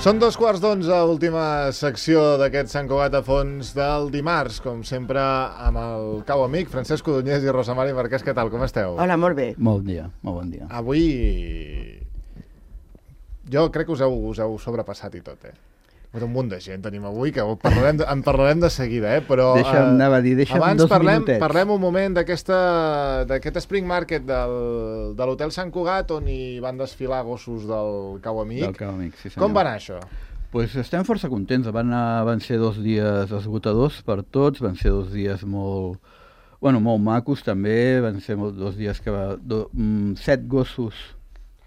Són 11:15, última secció d'aquest Sant Cugat a fons del dimarts, com sempre amb el cau amic Francesc Codonyés i Rosa Mari Marquès. Què tal, com esteu? Hola, molt bé. Molt bon dia. Avui jo crec que us heu sobrepassat i tot, Un munt de gent tenim avui, que en parlarem de seguida, però... Deixa'm abans dos minutets. parlem un moment d'aquest Spring Market de l'Hotel Sant Cugat, on hi van desfilar gossos del Cau Amic. Del Cau Amic, sí senyor. Com va anar això? Pues estem força contents. Van ser 2 dies esgotadors per tots, van ser 2 dies molt macos també, van ser 2 dies que 7 gossos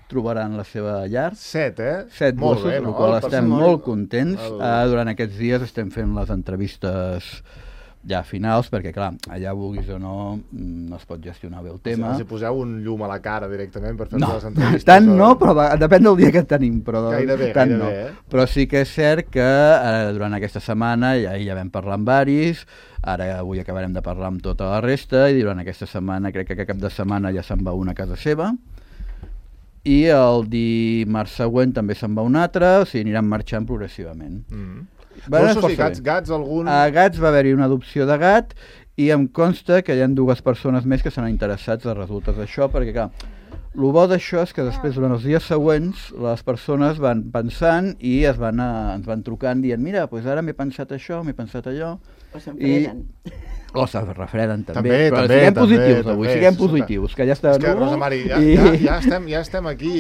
trobaran la seva llar. 7, 7 molt gossos, bé, amb la qual estem molt contents. El... Durant aquests dies estem fent les entrevistes ja finals, perquè clar, allà vulguis o no, no es pot gestionar bé el tema. Els hi poseu un llum a la cara directament per fer les entrevistes? Tant no, però depèn del dia que tenim. Però gairebé, no. Però sí que és cert que durant aquesta setmana ja vam parlar amb varis, ara avui acabarem de parlar amb tota la resta, i durant aquesta setmana, crec que cap de setmana ja se'n va una a casa seva, i el dimarts següent també se'n va un altre, o sigui, aniran marxant progressivament. Gossos i gats, algun... A gats va haver-hi una adopció de gat, i em consta que hi ha 2 persones més que s'han interessats als resultats d'això, perquè clar, el bo d'això és que després, durant els dies següents, les persones van pensant i ens van trucant dient, mira, doncs ara m'he pensat això, m'he pensat allò. O s'enfreden. O se refreden també, però siguem positius avui, siguem positius, que ja està... És que, Rosa Mari, ja estem aquí...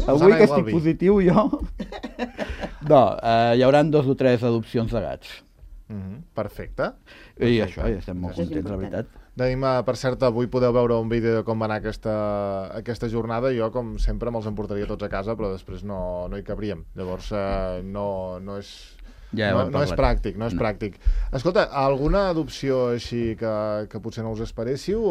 Avui que estic positiu jo... No, hi haurà 2 o 3 adopcions de gats. Perfecte. I això, ja estem molt contents, la veritat. Per cert, avui podeu veure un vídeo de com va anar aquesta jornada. Jo, com sempre, me'ls emportaria tots a casa, però després no hi cabríem. Llavors, no és... No és pràctic. Escolta, alguna adopció així que potser no us esperéssiu?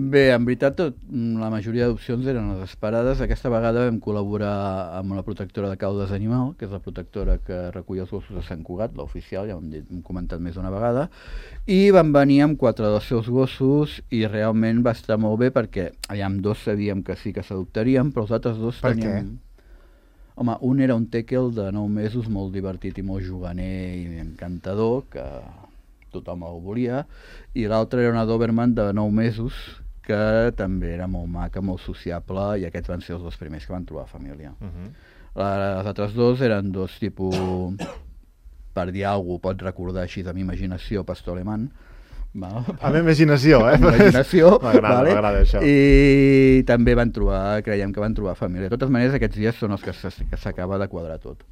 Bé, en veritat, la majoria d'adopcions eren les esperades. Aquesta vegada vam col·laborar amb la protectora de caudes animal, que és la protectora que recull els gossos de Sant Cugat, l'oficial, ja ho hem comentat més d'una vegada, i van venir amb 4 dels seus gossos i realment va estar molt bé perquè amb 2 sabíem que sí que s'adoptarien, però els altres 2 teníem... Què? Home, un era un tèquel de 9 mesos, molt divertit i molt juganer i encantador, que tothom el volia, i l'altre era una Doberman de 9 mesos, que també era molt maca, molt sociable, i aquests van ser els 2 primers que van trobar família. Les altres 2 eren 2 tipus, per dir alguna cosa, pots recordar així de m'imaginació, pastor alemany. A la imaginació, M'agrada això. I també creiem que van trobar família. De totes maneres, aquests dies són els que s'acaba de quadrar tot.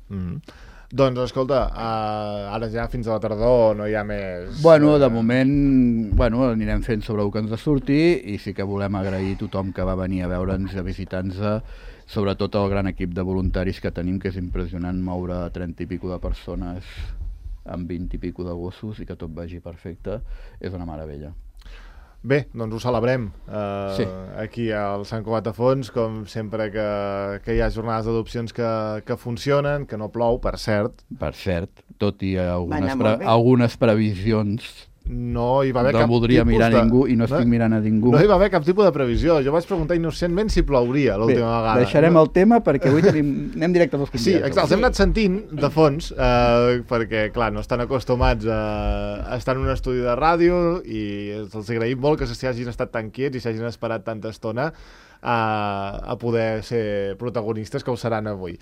Doncs, escolta, ara ja fins a la tardor no hi ha més... De moment, anirem fent sobre el que ens surti, i sí que volem agrair a tothom que va venir a veure'ns, a visitar-nos, sobretot el gran equip de voluntaris que tenim, que és impressionant moure 30 i pico de persones amb 20 i pico de gossos i que tot vagi perfecte, és una meravella. Bé, doncs ho celebrem sí. Aquí al Sant Cugat a fons, com sempre que hi ha jornades d'adopcions que funcionen, que no plou, per cert. Per cert, tot i algunes previsions... No hi va haver cap voldria mirar a ningú i no estic mirant a ningú. No hi va haver cap tipus de previsió. Jo vaig preguntar innocentment si plouria l'última vegada. Deixarem el tema perquè avui anem directe als convidats. Sí, exacte, els hem anat sentint de fons perquè, clar, no estan acostumats a estar en un estudi de ràdio i els agraïm molt que s'hagin estat tan quiets i s'hagin esperat tanta estona a poder ser protagonistes, que ho seran avui.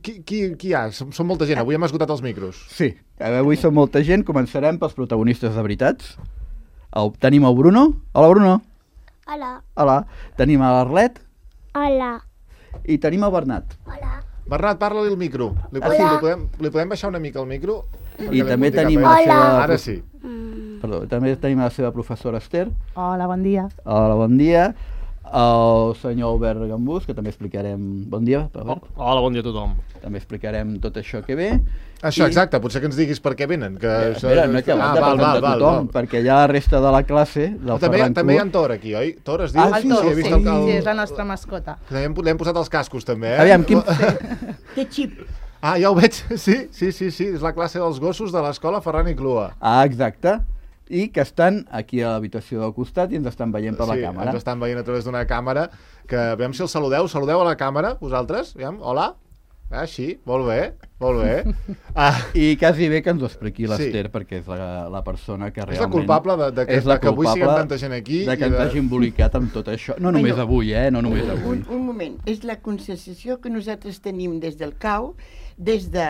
Qui hi ha? Són molta gent. Avui hem esgotat els micros. Sí, avui som molta gent. Començarem pels protagonistes de veritats. Tenim el Bruno. Hola, Bruno. Hola. Tenim l'Arlet. Hola. I tenim el Bernat. Hola. Bernat, parla-li al micro. Li podem baixar una mica el micro? I també tenim la seva... Ara sí. Perdó, també tenim la seva professora Esther. Hola, bon dia. Hola, bon dia. El senyor Albert Gambús, que també explicarem... Bon dia, Albert. Hola, bon dia a tothom. També explicarem tot això que ve. Això, exacte, potser que ens diguis per què venen. Espera, no que tothom, perquè hi ha la resta de la classe del Ferran Cruz. També hi ha en Tor aquí, oi? Tor es diu? El Tor, sí, és la nostra mascota. L'hem posat els cascos també, Aviam, quin... Té xip. Ja ho veig, sí, és la classe dels gossos de l'escola Ferran i Clua. Exacte. I que estan aquí a l'habitació del costat i ens estan veient per la càmera. Sí, ens estan veient a través d'una càmera, que veiem si els saludeu a la càmera, vosaltres, veiem, hola. Ah, sí? Molt bé. I quasi bé que ens ho expliqui l'Ester, perquè és la persona que realment... És la culpable de que avui siguem tanta gent aquí. De que ens hagi embolicat amb tot això. No només avui, no només avui. Un moment, és la conscienciació que nosaltres tenim des del CAU, des de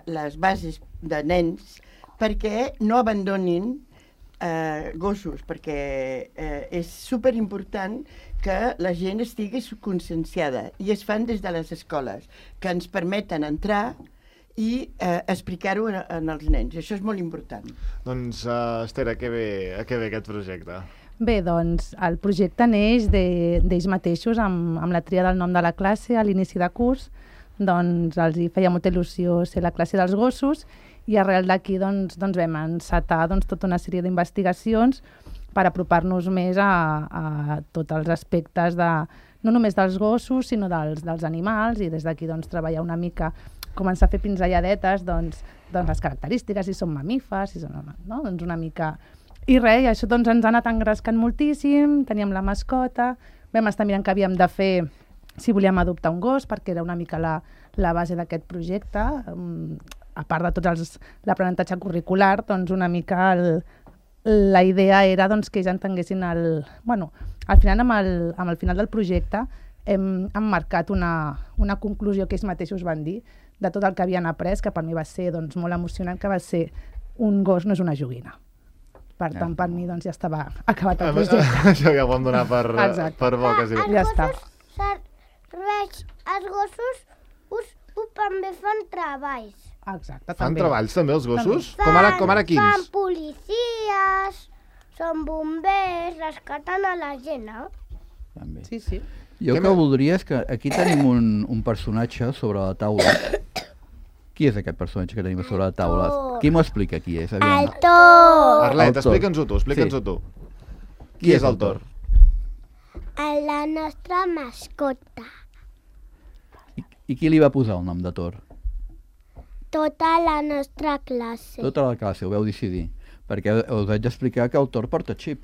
les bases de nens, perquè no abandonin gossos, perquè és superimportant que la gent estigui conscienciada, i es fan des de les escoles, que ens permeten entrar i explicar-ho als nens. Això és molt important. Doncs, Esther, a què ve aquest projecte? Bé, doncs, el projecte neix d'ells mateixos, amb la tria del nom de la classe a l'inici de curs. Doncs els hi feia molta il·lusió ser la classe dels gossos, i arrel d'aquí doncs, vam encetar tota una sèrie d'investigacions per apropar-nos més a tots els aspectes no només dels gossos, sinó dels animals, i des d'aquí treballar una mica, començar a fer pinzelladetes, les característiques, si són mamífers, si són, no? Doncs una mica... I res, i això ens ha anat engrescant moltíssim, teníem la mascota, vam estar mirant què havíem de fer si volíem adoptar un gos, perquè era una mica la base d'aquest projecte, a part de tot l'aprenentatge curricular, una mica la idea era que ells entenguessin al final, amb el final del projecte, hem marcat una conclusió que ells mateixos van dir de tot el que havien après, que per mi va ser molt emocionant, que va ser: un gos no és una joguina. Per tant, per mi ja estava acabat el projecte. Això ja ho vam donar per bo, quasi. Ja està. Els gossos també fan treballs. Exacte, fan també. Treballs també els gossos? Com ara quins? Fan policies, són bombers, rescaten a la gent, no? També. Sí. Jo que voldria és que aquí tenim un personatge sobre la taula. Qui és aquest personatge que tenim sobre la taula? Qui m'ho explica qui és? El Thor. Arlet, explica'ns-ho tu, Qui és el Thor? La nostra mascota. I qui li va posar el nom de Thor? Tota la nostra classe. Tota la classe, ho vau decidir. Perquè us haig d'explicar que el Thor porta xip.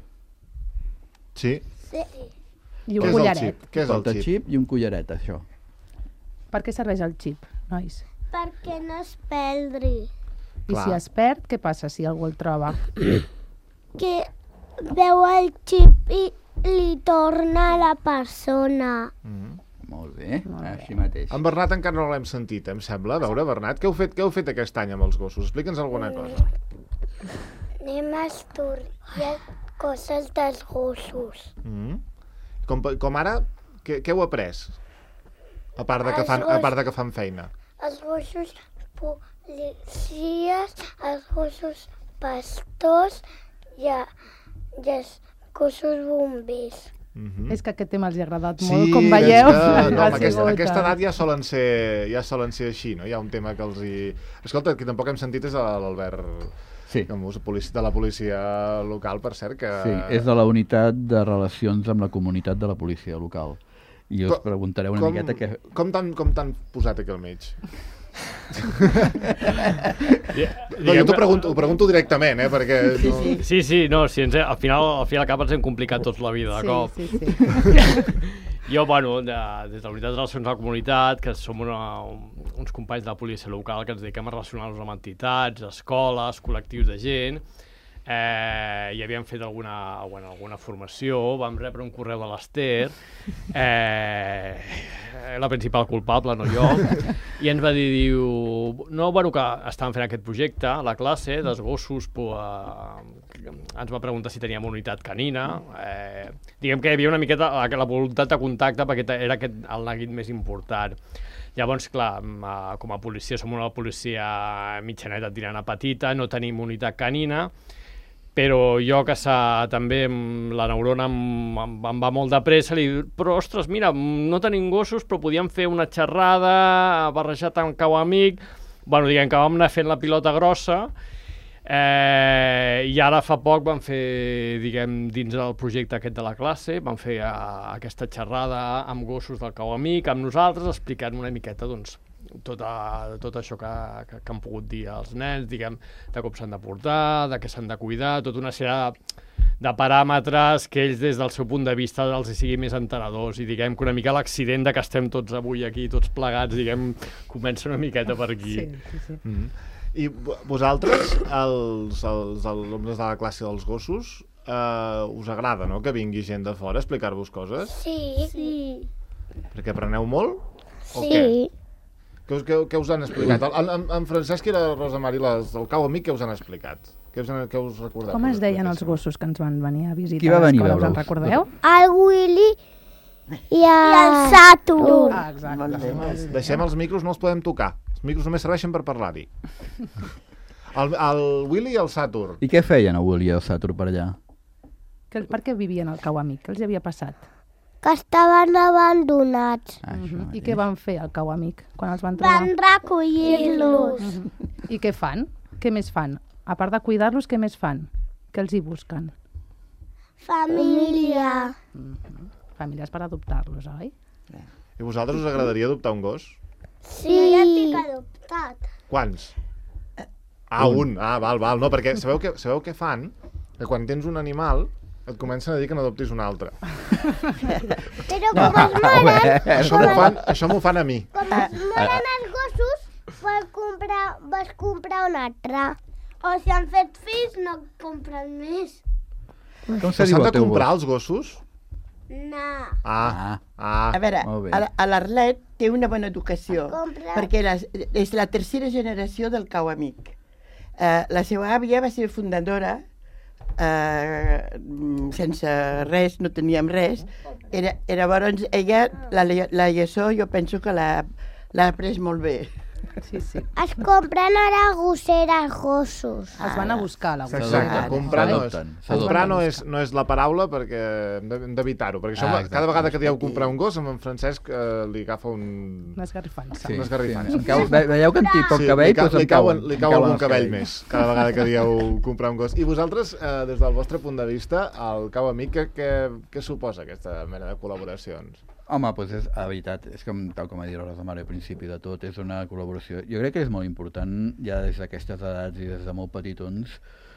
Sí. I un collaret. Què és el Porta xip? xip i un collaret, això. Per què serveix el xip, nois? Perquè no es perdri. I si es perd, què passa si algú el troba? Que veu el xip i li torna a la persona. Molt bé, així mateix. En Bernat encara no l'hem sentit, em sembla. A veure, Bernat, què heu fet aquest any amb els gossos? Explica'ns alguna cosa. Anem a estudiar coses dels gossos. Com ara, què heu après? A part de que fan feina. Els gossos policies, els gossos pastors i els gossos bombers. És que aquest tema els ha agradat molt, com veieu. Aquesta edat ja solen ser així, no? Hi ha un tema que els hi... Escolta, qui tampoc hem sentit és l'Albert Camus, de la policia local, per cert, que... Sí, és de la unitat de relacions amb la comunitat de la policia local. I us preguntareu una miqueta què... Com t'han posat aquí al mig? Jo ho pregunto directament, perquè... Sí, no, al final al cap ens hem complicat tots la vida, de cop. Jo, des de la unitat de relacions a la comunitat, que som uns companys de la policia local que ens dediquem a relacionar-nos amb entitats, escoles, col·lectius de gent, i havíem fet alguna formació, vam rebre un correu de l'Ester, la principal culpable, no jo, i ens va dir, que estàvem fent aquest projecte a la classe dels gossos, ens va preguntar si teníem unitat canina, diguem que hi havia una miqueta la voluntat de contacte perquè era el neguit més important. Llavors, clar, com a policia som una policia mitjaneta tirant a petita, no tenim unitat canina, però jo que també la neurona em va molt de pressa, li dic, però ostres, mira, no tenim gossos, però podíem fer una xerrada barrejat amb cau amic, diguem que vam anar fent la pilota grossa, i ara fa poc vam fer, dins del projecte aquest de la classe, vam fer aquesta xerrada amb gossos del cau amic, amb nosaltres, explicant una miqueta, tot això que han pogut dir els nens, de com s'han de portar, de què s'han de cuidar, tota una sèrie de paràmetres que ells des del seu punt de vista els hi sigui més entenedors i diguem que una mica l'accident de que estem tots avui aquí, tots plegats, diguem, comença una miqueta per aquí. Sí. I vosaltres, els alumnes de la classe dels gossos, us agrada, no?, que vingui gent de fora a explicar-vos coses? Sí. Perquè apreneu molt? O Sí. Què us han explicat? En Francesc i la Rosa Mari, el Cau Amic, què us han explicat? Què us recordeu? Com es deien els gossos que ens van venir a visitar? Qui va venir a a l'escola? Us en veure'ls? recordeu? El Willy i el Saturn. Ah, exacte. Molt bé. Deixem els micros, no els podem tocar. Els micros només serveixen per parlar-hi. El Willy i el Saturn. I què feien el Willy i el Saturn per allà? Per què vivien al Cau Amic? Què els hi havia passat? Que estaven abandonats. Això, I què van fer al Cau Amic quan els van trobar? Van recollir-los. I què fan? Què més fan? A part de cuidar-los, què més fan? Què els hi busquen? Família. Famílies per adoptar-los, oi? I vosaltres us agradaria adoptar un gos? Sí. Jo ja estic adoptat. Quants? Un. Val. No, perquè sabeu què fan? Que quan tens un animal et comencen a dir que n'adoptis un altre. Però com es moren, Això m'ho fan a mi. com es moren els gossos, vas comprar un altre. O si han fet fills, no compren més. Com Que se diu s'han el de teu comprar gos? els gossos? No. A veure, molt bé. l'Arlet té una bona educació, Compra. perquè és la tercera generació del Cau Amic. La seva àvia va ser fundadora, sense res, no teníem res. Llavors, ella, la lliçó, jo penso que l'ha après molt bé. Sí. Es compren ara gosseres gossos. Els van a buscar, la Exacte, S'adopten, comprar no és, s'adopten. no és la paraula perquè hem d'evitar-ho, perquè això, Exacte. cada vegada que dieu comprar un gos, en Francesc li agafa un... Una esgarrifança. Sí, Una esgarrifança. em veieu que en tinc poc cabell, doncs li em cau cauen algun els cabell cabells. més, cada vegada que dieu comprar un gos. I vosaltres, des del vostre punt de vista, el Cau Amic, què suposa aquesta mena de col·laboracions? Home, doncs la veritat, és com, tal com ha dit la Rosa Mare al principi de tot, és una col·laboració. Jo crec que és molt important, ja des d'aquestes edats i des de molt petitons,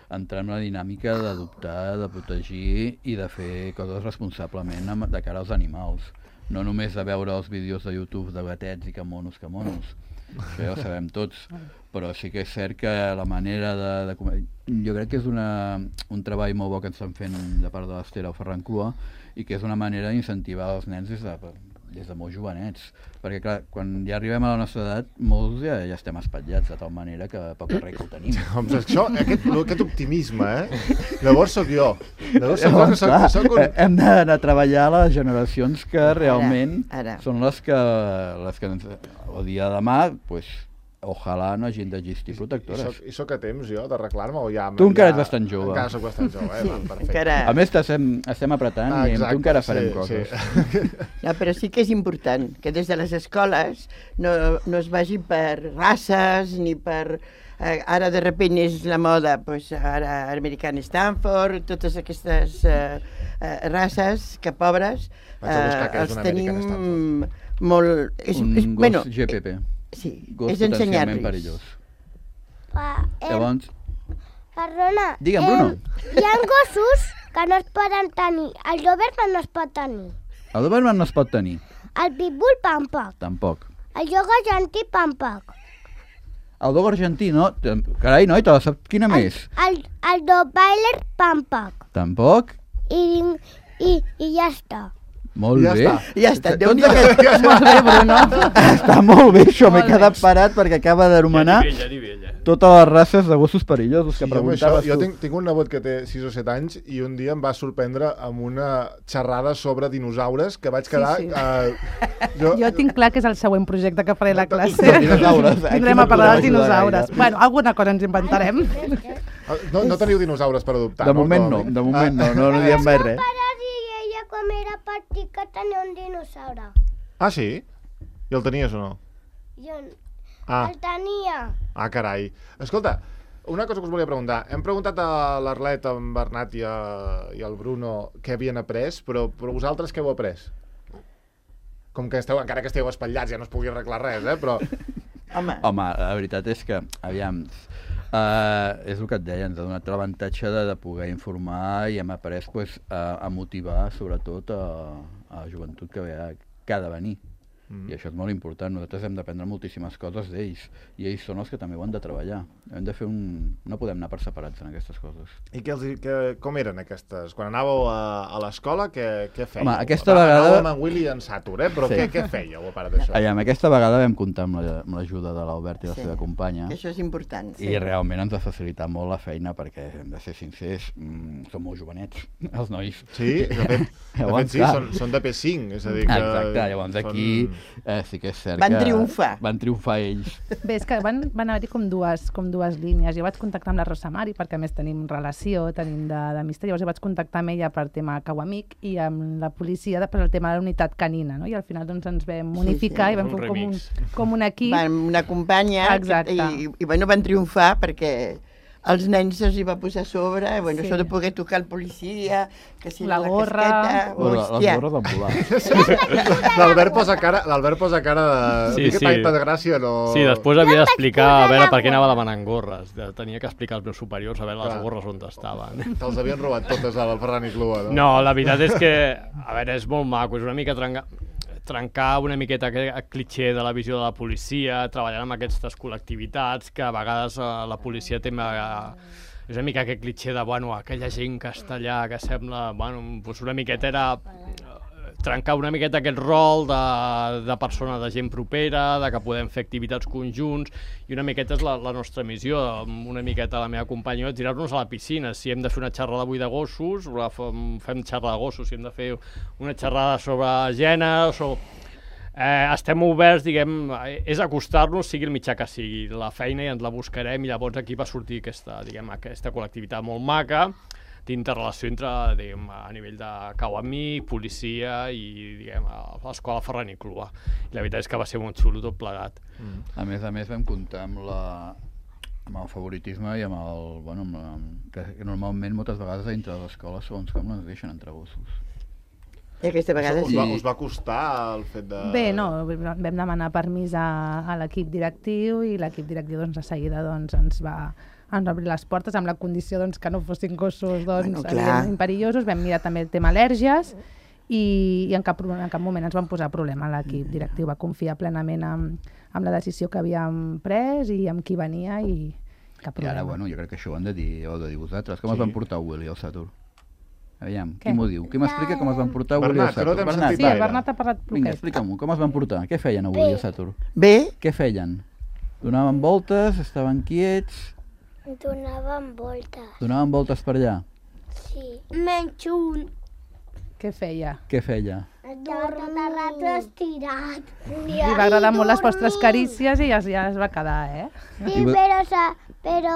entrar en la dinàmica d'adoptar, de protegir i de fer coses responsablement de cara als animals. No només de veure els vídeos de YouTube de gatets i que monos. Això ja ho sabem tots. Però sí que és cert que la manera de jo crec que és un treball molt bo que ens estan fent de part de l'Esther o Ferran Clua i que és una manera d'incentivar els nens des de molt jovenets. Perquè, clar, quan ja arribem a la nostra edat, molts ja estem espatllats, de tal manera que poc res que ho tenim. Doncs això, aquest optimisme, llavors sóc jo. Llavors Clar, sóc un... hem d'anar a treballar a les generacions que realment ara. són les que ens, el dia de demà, doncs, ojalà no hagin d'existir protectores. I sóc a temps, jo, d'arreglar-me o ja... Tu encara ets bastant jove. Encara sóc bastant jove, val, perfecte. Encara... A més, estem apretant i amb tu encara farem coses. Sí. No, però sí que és important que des de les escoles no es vagi per races ni per... ara de repent és la moda, doncs ara American Stanford, totes aquestes races que pobres Vaig a buscar què és els un American tenim molt... Un gos GPP. Sí, Gos és potencialment ensenyar-los. perillós. Llavors... Llavors, Perdona. Digue'm, Bruno. Hi ha gossos que no es poden tenir. El Doberman no es pot tenir. el Doberman no es pot tenir, El Pitbull tampoc. tampoc. El Yoga Gentí tampoc. El dog argentí, no? Carai, noi, te la sap quina més? El Rottweiler tampoc. Tampoc? I ja està. Molt Ja bé. està. Ja està, Tots Déu-n'hi-do aquests- Molt bé, Bruno. Està molt bé, això, m'he Molt bé. quedat parat perquè acaba d'anomenar Ja ni vella. totes les races de gossos perillosos que Sí, home, això, preguntaves jo tu. tinc un nebot que té 6 o 7 anys i un dia em va sorprendre amb una xerrada sobre dinosaures que vaig quedar... Sí. Jo Jo tinc clar que és el següent projecte que faré a la classe. Dinosaures. Aquí Tindrem no a parlar dels podem ajudar dinosaures. gaire. Bueno, alguna cosa ens inventarem. No teniu dinosaures per adoptar, De no? moment no, de moment no diem mai res. Pare i ella quan era petit que tenia un dinosaure. Ah, sí? I el tenies o no? Jo Ah, el tenia. carai. Escolta, una cosa que us volia preguntar. Hem preguntat a l'Arlet, en Bernat i al Bruno què havien après, però vosaltres què heu après? Com que encara que esteu espatllats ja no es pugui arreglar res, però... Home, Home, la veritat és que, aviam, És el que et deia, ens ha donat l'avantatge de poder informar i hem après a motivar sobretot a la joventut que ha de venir. I això és molt important. Nosaltres hem d'aprendre moltíssimes coses d'ells i ells són els que també ho han de treballar. Hem de fer no podem anar per separats en aquestes coses. I com eren aquestes? Quan anàveu a l'escola, què fèieu? Home, aquesta vegada... Anàveu amb en Willy i en Satur, però què fèieu a part d'això? Aquesta vegada vam comptar amb l'ajuda de l'Albert i la seva companya. Això és important. I realment ens va facilitar molt la feina perquè, hem de ser sincers, són molt jovenets, els nois. Sí, de fet sí, són de P5, és a dir que... Exacte, llavors aquí sí que és cert Van triomfar. Van triomfar ells. Bé, és que van haver-hi com dues línies. Jo vaig contactar amb la Rosa Mari, perquè a més tenim relació, tenim d'amistat, llavors jo vaig contactar amb ella per tema Cauamic i amb la policia per el tema de la unitat canina, no? I al final doncs, ens vam unificar i vam fer com un equip. Una companya i bueno, van triomfar perquè els nens se'ls hi va posar a sobre, bueno, això de poder tocar el policia, que si la gorra... casqueta... Les gorres van volar. L'Albert posa cara de... Sí. Tanta gràcia, no... Sí, després havia d'explicar a veure per què anava demanant gorres. Tenia que explicar als meus superiors a veure les gorres on estaven. Te'ls havien robat totes al Ferran i Clua, no? No, la veritat és que, a veure, és molt maco, és una mica trencar una miqueta aquest clitxé de la visió de la policia, treballant amb aquestes col·lectivitats, que a vegades la policia té és una mica aquest clitxé de, bueno, aquella gent que està allà, que sembla, bueno, doncs una miqueta era trencar una miqueta aquest rol de persona, de gent propera, de que podem fer activitats conjunts, i una miqueta és la nostra missió, una miqueta la meva companya, tirar-nos a la piscina. Si hem de fer una xerrada avui de gossos, fem xerrada de gossos. Si hem de fer una xerrada sobre gènere, estem oberts, diguem, és acostar-nos, sigui el mitjà que sigui, la feina i ens la buscarem, i llavors aquí va sortir aquesta col·lectivitat molt maca, d'interrelació entre, diguem, a nivell de Cauamic, policia i, diguem, l'escola Ferran i Clua. I la veritat és que va ser molt xulo tot plegat. A més vam comptar amb el favoritisme i amb que normalment moltes vegades dintre de l'escola segons com no ens deixen entre gossos. I aquesta vegada sí. Us va costar el fet de... Bé, no, vam demanar permís a l'equip directiu i l'equip directiu de seguida ens va obrir les portes amb la condició que no fossin gossos evidentment perillosos. Vam mirar també el tema al·lèrgies i en cap moment ens van posar problema. L'equip directiu va confiar plenament amb la decisió que havíem pres i amb qui venia i cap problema. I ara, bueno, jo crec que això ho heu de dir vosaltres. Com es van portar Willy al Satur? Aviam, qui m'ho diu? Qui m'explica com es van portar Willy al Satur? Bernat, sí, el Bernat ha parlat poquet. Vinga, explica'm-ho, com es van portar? Què feien a Willy al Satur? Bé. Què feien? Donaven voltes, estaven quiets... Donaven voltes. Donaven voltes per allà? Sí. Menys un. Què feia? Què feia? Estava tot el rato estirat. Li va agradar molt les vostres carícies i ja es va quedar, eh? Sí, però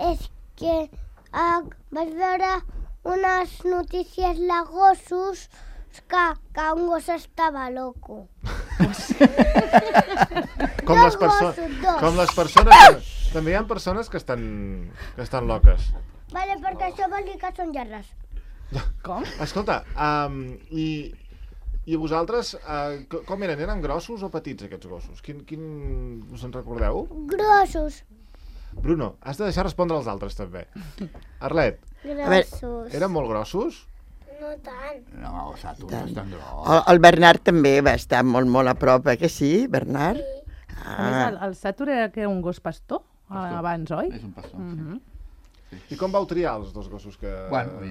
és que vaig veure unes notícies de gossos que un gos estava loco. Com les persones... També hi ha persones que estan loques. Vale, perquè això vol dir que són llargues. Com? Escolta, i vosaltres, com eren? Eren grossos o petits aquests gossos? Us en recordeu? Grossos. Bruno, has de deixar respondre als altres també. Arlet. Grossos. Eren molt grossos? No tant. No, el Satur no és tan gros. El Bernat també va estar molt a prop, que sí, Bernat? Sí. A més, el Satur era un gos pastor abans, oi? És un pastor, sí. I com vau triar els dos gossos que... Bueno,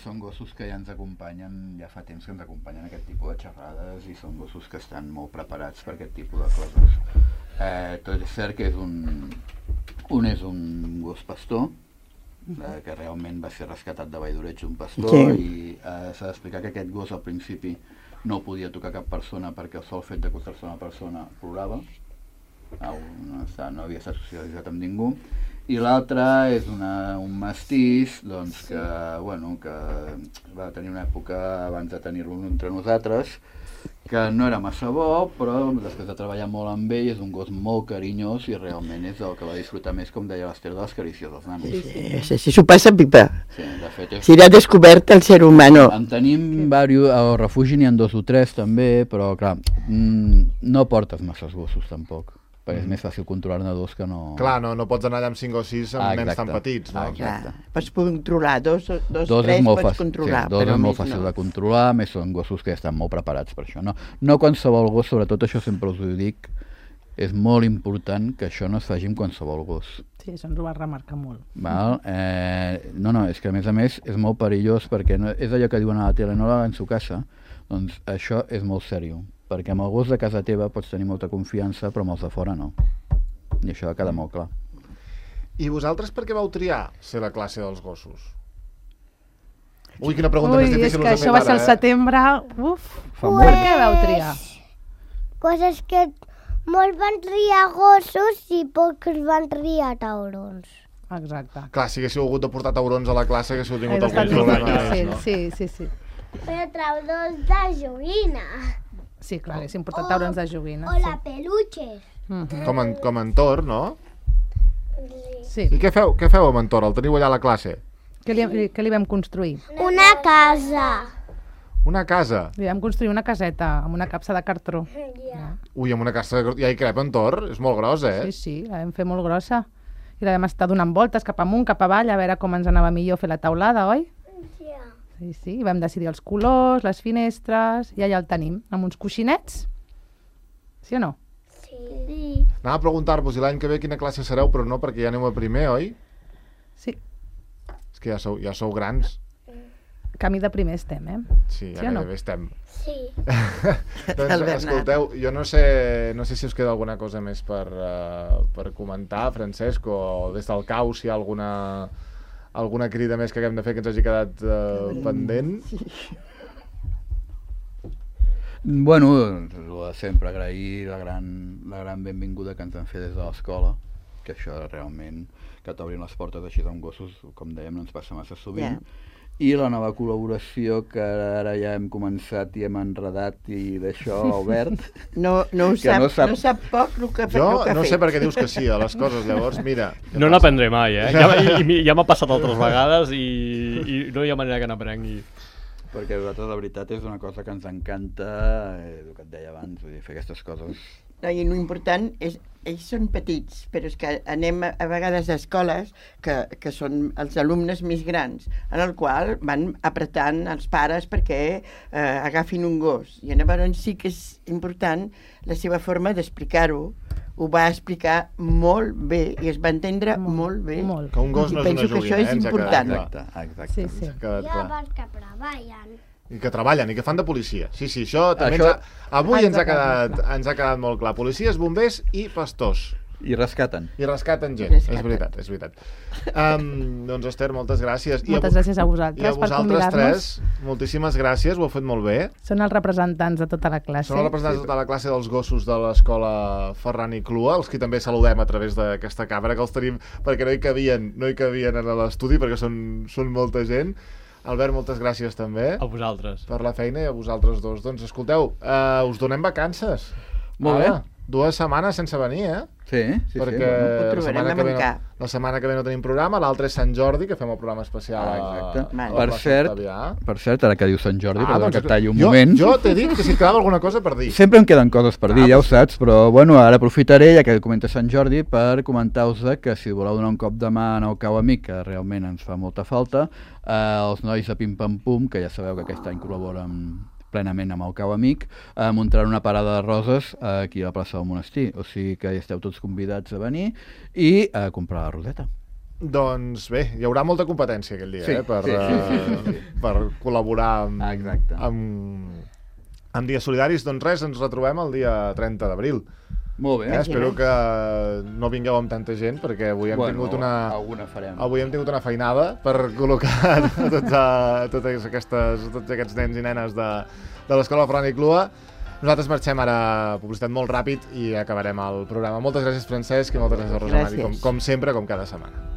són gossos que ja ens acompanyen, ja fa temps que ens acompanyen aquest tipus de xerrades i són gossos que estan molt preparats per aquest tipus de coses. Tot és cert que un és un gos pastor, que realment va ser rescatat de Valldoreig, un pastor, i s'ha d'explicar que aquest gos al principi no podia tocar cap persona perquè el sol fet d'acostar-se a una persona plorava, no havia estat socialitzat amb ningú, i l'altre és un mestís que va tenir una època abans de tenir-lo entre nosaltres que no era massa bo, però després de treballar molt amb ell és un gos molt carinyós i realment és el que va disfrutar més, com deia l'Ester, de les carícies dels nanos. Sí, s'ho passa pipa. Sí, de fet si l'ha descobert el ser humano. En tenim diversos, al refugi n'hi ha 2 o 3 també, però clar, no portes masses gossos tampoc. perquè és més fàcil controlar-ne dos que no... Clar, no pots anar allà amb 5 o 6 amb nens tan exacte. petits, no? Exacte. Pots controlar, dos Dos tres és molt pots fàcil, controlar, sí, dos però és molt més fàcil no. de controlar, més són gossos que ja estan molt preparats per això. No qualsevol gos, sobretot això sempre us ho dic, és molt important que això no es faci amb qualsevol gos. Sí, això ens ho va remarcar molt. Val? No, és que a més és molt perillós perquè no, és allò que diuen a la tele, no la en su casa, doncs això és molt seriós, perquè amb el gos de casa teva pots tenir molta confiança, però amb els de fora no. I això ha quedat molt clar. I vosaltres per què vau triar ser la classe dels gossos? Ui, quina pregunta més difícil és que us hem això fet va ser ara, al setembre. Uf, Fa per molt. què vau triar? Coses que molts van triar gossos i pocs van triar taurons. Exacte. Clar, si haguéssiu hagut de portar taurons a la classe, haguéssiu tingut Hagués estat algun problema difícil, més, no? sí. Però taurons de joguina. Sí, clar, haguéssim portat taurons de joguina. O la peluches. Mhm. Com en Tor, no? Sí. I què feu amb en Tor? El teniu allà a la classe? Què li vam construir? Una casa. Una casa. Li vam construir una caseta amb una capsa de cartró. Ui, amb una casa... Ja hi crep en Tor? És molt gros, eh? Sí, la vam fer molt grossa. I la vam estar donant voltes cap amunt, cap avall, a veure com ens anava millor fer la taulada, oi? Sí, i vam decidir els colors, les finestres, i allà el tenim, amb uns coixinets. Sí o no? Sí. Anava a preguntar-vos, i l'any que ve quina classe sereu, però no, perquè ja aneu a primer, oi? Sí, És que ja sou grans. camí de primer estem, eh? Sí, ja Sí o no? gairebé estem. Sí. Doncs, El Bernat. escolteu, jo no sé si us queda alguna cosa més per comentar, Francesc, o des del cau, si hi ha alguna crida més que haguem de fer que ens hagi quedat pendent. Bueno, lo de sempre, agrair la gran benvinguda que ens han fet des de l'escola, que això realment, que t'obrin les portes així amb gossos, com dèiem, no ens passa massa sovint. I la nova col·laboració que ara ja hem començat i hem enredat i d'això, Albert. No ho Que sap, no sap- no sap poc el que, Jo el que ha no fet. sé per què dius que sí a les coses, llavors, mira... No n'aprendré mai, eh? Ja m'ha passat altres vegades i no hi ha manera que n'aprengui. Perquè a nosaltres la veritat és una cosa que ens encanta, el que et deia abans, vull dir, fer aquestes coses. No, i l'important és, ells són petits, però és que anem a vegades a escoles que són els alumnes més grans, en el qual van apretant els pares perquè agafin un gos. I llavors sí que és important la seva forma d'explicar-ho. Ho va explicar molt bé i es va entendre molt bé. Molt. Que un gos no és una Penso que joguina, això és ens ha important. quedat Exacte. Sí, sí. Ens ha quedat Hi ha clar. bars que treballen. I que treballen, i que fan de policia. Sí, això també Això- avui ens ha Exacte. quedat molt clar. Policies, bombers i pastors. I rescaten. I rescaten gent, Rescaten. és veritat. Doncs Esther, moltes gràcies. Moltes gràcies a vosaltres I a per vosaltres convidar-nos. tres, moltíssimes gràcies, ho heu fet molt bé. Són els representants de tota la classe. Són els representants de tota la classe dels gossos de l'escola Ferran i Clua, els que també saludem a través d'aquesta càmera, que els tenim perquè no hi cabien a l'estudi, perquè són molta gent. Albert, moltes gràcies també A vosaltres. per la feina i a vosaltres dos. Doncs escolteu, us donem vacances. Molt bé. 2 setmanes sense venir, eh? Sí, perquè bueno. Ho trobarem a mancar. la setmana que ve no tenim programa, l'altre és Sant Jordi, que fem el programa especial Exacte. a la Per plaça cert, Octavià. ara que diu Sant Jordi, perdó doncs que et talli un jo, moment. Jo t'he dit que si et quedava alguna cosa per dir. Sempre em queden coses per dir, ja ho saps, però bueno, ara aprofitaré, ja que comenta Sant Jordi, per comentar-vos que si voleu donar un cop de mà en el Cau Amic, que realment ens fa molta falta, els nois de Pim Pam Pum, que ja sabeu que aquest any col·laboren plenament amb el Cau Amic, muntaran una parada de roses aquí a la plaça del Monestir, o sigui que hi esteu tots convidats a venir i a comprar la roseta. Doncs bé, hi haurà molta competència aquell dia, Sí, per col·laborar Exacte. amb dies solidaris. Doncs res, ens retrobem el dia 30 d'abril. Molt bé. Espero que no vingueu amb tanta gent, perquè avui hem tingut alguna farem. Avui hem tingut una feinada per col·locar tots aquests nens i nenes de l'escola Ferran i Clua. Nosaltres marxem ara, publicitat molt ràpid, i acabarem el programa. Moltes gràcies, Francesc, i moltes gràcies a Rosa Mari, Gràcies. com sempre, com cada setmana.